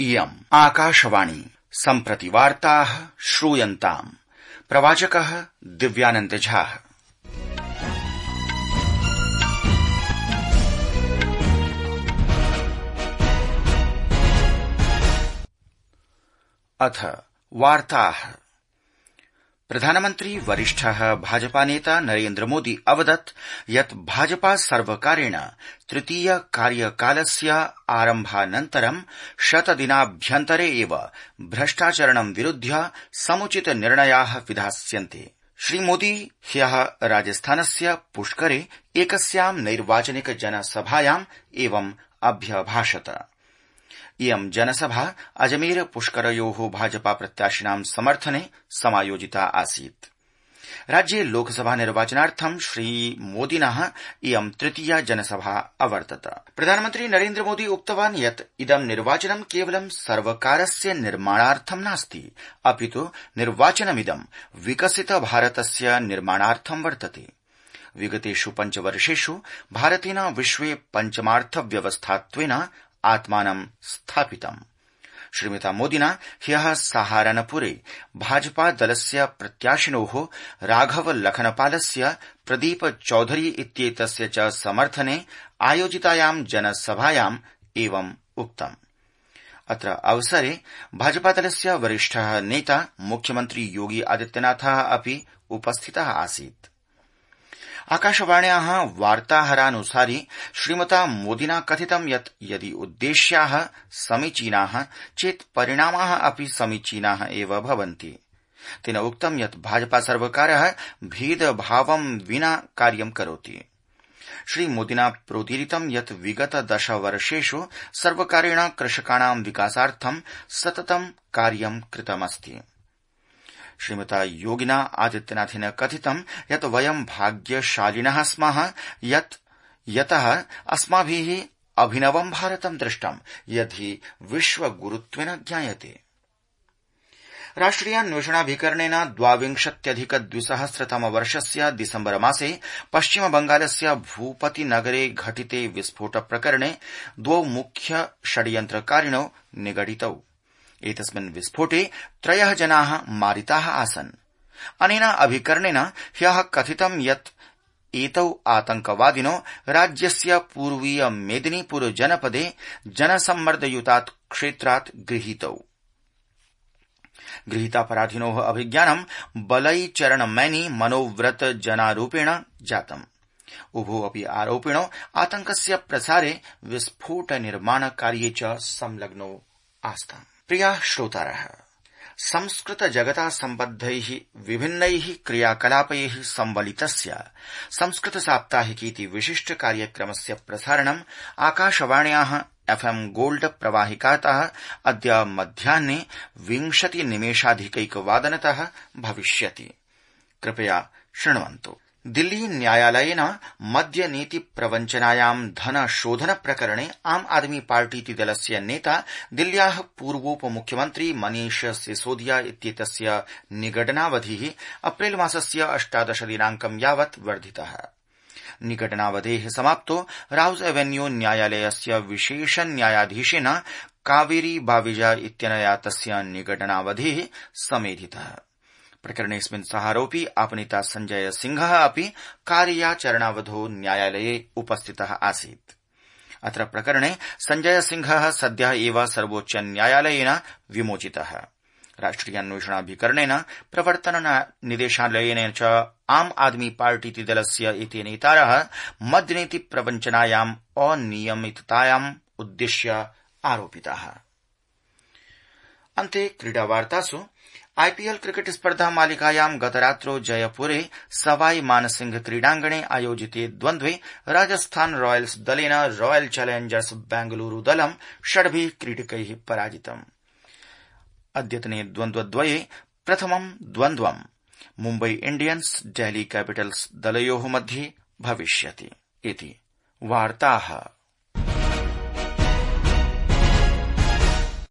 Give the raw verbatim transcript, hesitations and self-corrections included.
इयम् आकाशवाणी सम्प्रति वार्ताः श्रूयन्ताम्। प्रवाचकः दिव्यानन्द झा। अथ वार्ताः। प्रधानमन्त्री वरिष्ठः भाजपा नेता नरेन्द्र मोदी अवदत् यत् भाजपा सर्वकारेण तृतीय कार्यकालस्य आरम्भानन्तरं शतदिनाभ्यन्तरे एव भ्रष्टाचरणं विरुध्य समुचित निर्णयाः विधास्यन्ते। श्रीमोदी ह्यः राजस्थानस्य पुष्करे एकस्यां नैर्वाचनिक जनसभायाम् एवम् अभ्यभाषत। इयं जनसभा अजमेर पुष्करयोः भाजपा प्रत्याशिनां समर्थने समायोजिता आसीत्। राज्ये लोकसभा निर्वाचनार्थं श्रीमोदिनः इयं तृतीया जनसभा अवर्तत। प्रधानमन्त्री नरेन्द्र मोदी उक्तवान् यत् इदं निर्वाचनं केवलं सर्वकारस्य निर्माणार्थं नास्ति, अपितु निर्वाचनमिदं विकसित भारतस्य निर्माणार्थं वर्तते। विगतेषु पञ्चवर्षेषु भारतेन विश्वे पञ्चमार्थव्यवस्थात्वेन आत्मानं स्थापितम्। श्रीमता मोदिना ह्यः सहारनपुरे भाजपा दलस्य प्रत्याशिनोः राघव लखनपालस्य, प्रदीप चौधरी इत्येतस्य च समर्थने आयोजितायां जनसभायाम् एवम् उक्तम्। अत्र अवसरे भाजपा दलस्य वरिष्ठः नेता मुख्यमन्त्री योगी आदित्यनाथः अपि उपस्थितः आसीत्। आकाशवाण्याः वार्ताहरानुसारि श्रीमता मोदिना कथितं यत् यदि उद्देश्याः समीचीनाः चेत् परिणामाः अपि समीचीनाः एव भवन्ति। तेन उक्तं यत् भाजपा सर्वकारः भेदभावं विना कार्यं करोति। श्रीमोदिना प्रोदीरितं यत् विगत दशवर्षेषु सर्वकारेण कृषकाणां विकासार्थं सततं कार्यं कृतमस्ति। श्रीमता योगिना आदित्यनाथेन कथितं यत् वयं भाग्यशालिनः स्मः यत् यतः अस्माभिः अभिनवं भारतं दृष्टं यद्धि विश्वगुरुत्वेन ज्ञायते। राष्ट्रियान्वेषणाभिकरणेन द्वाविंशत्यधिक द्विसहस्रतम वर्षस्य दिसम्बर मासे पश्चिमबंगालस्य भूपतिनगरे घटिते विस्फोट प्रकरणे द्वौ मुख्य षड्यन्त्रकारिणौ निगडितौ। एतस्मिन् विस्फोटे त्रयः जनाः मारिताः आसन्। अनेन अभिकरणेन ह्यः कथितं यत् एतौ आतंकवादिनो राज्यस्य पूर्वीय मेदिनीपुर जनपदे जनसम्मर्दयुतात् क्षेत्रात् गृहीतौ। गृहीतापराधिनोः अभिज्ञानं बलैचरणमैनी मनोव्रत जनारूपेण जातम्। उभौ अपि आरोपिणौ आतंकस्य प्रसारे विस्फोट निर्माण कार्ये च संलग्नौ आस्ताम्। प्रियाः श्रोतारः, संस्कृत जगता सम्बद्धैः विभिन्नैः क्रियाकलापैः संबलितस्य संस्कृत साप्ताहिकीति विशिष्ट कार्यक्रमस्य प्रसारणम् आकाशवाण्याः एफ्एम् गोल्ड प्रवाहिकातः अद्य मध्याह्ने विंशति निमेषाधिकैकवादनतः भविष्यति। कृपया शृण्वन्तु। दिल्ली न्यायालयेन मद्यनीति प्रवञ्चनायां धनशोधन प्रकरणे आम आदमी पार्टीति दलस्य नेता दिल्ल्याः पूर्वोपमुख्यमन्त्री मनीष सिसोदिया इत्येतस्य निगडनावधिः अप्रैल मासस्य अष्टादश दिनाङ्कं यावत् वर्धितः। निगडनावधेः समाप्तो राउज एवेन्यू न्यायालयस्य विशेष न्यायाधीशेन कावेरी बाविजा इत्यनया तस्य निगडनावधिः समेधितः। प्रकरणेऽस्मिन् सह आरोपी आपनेता संजय सिंहः अपि कार्याचरणावधौ न्यायालये उपस्थितः आसीत्। अत्र प्रकरणे संजय सिंहः सद्यः एव सर्वोच्च न्यायालयेन विमोचितः। राष्ट्रियान्वेषणाभिकरणेन, प्रवर्तन निदेशालयेन च आम आदमी पार्टीति दलस्य एते नेतारः मद्यनीति प्रवञ्चनायाम् अनियमिततायाम् उद्दिश्य आरोपिताः। अन्ते क्रीडावार्तासु आईपीएल क्रिकेट स्पर्धा मालिकायां गतरात्रौ जयपुरे सवाई मानसिंह क्रीडांगणे आयोजिते द्वन्द्वे राजस्थान रॉयल्स दलेन रॉयल चैलेंजर्स बेंगलुरू दलं षड्भिः क्रीडकैः पराजितम्। अद्यतने द्वन्द्वद्वये प्रथमं द्वन्द्वं मुम्बई इंडियन्स डेल्ही कैपिटल्स दलयोः मध्ये भविष्यति। इति वार्ताः।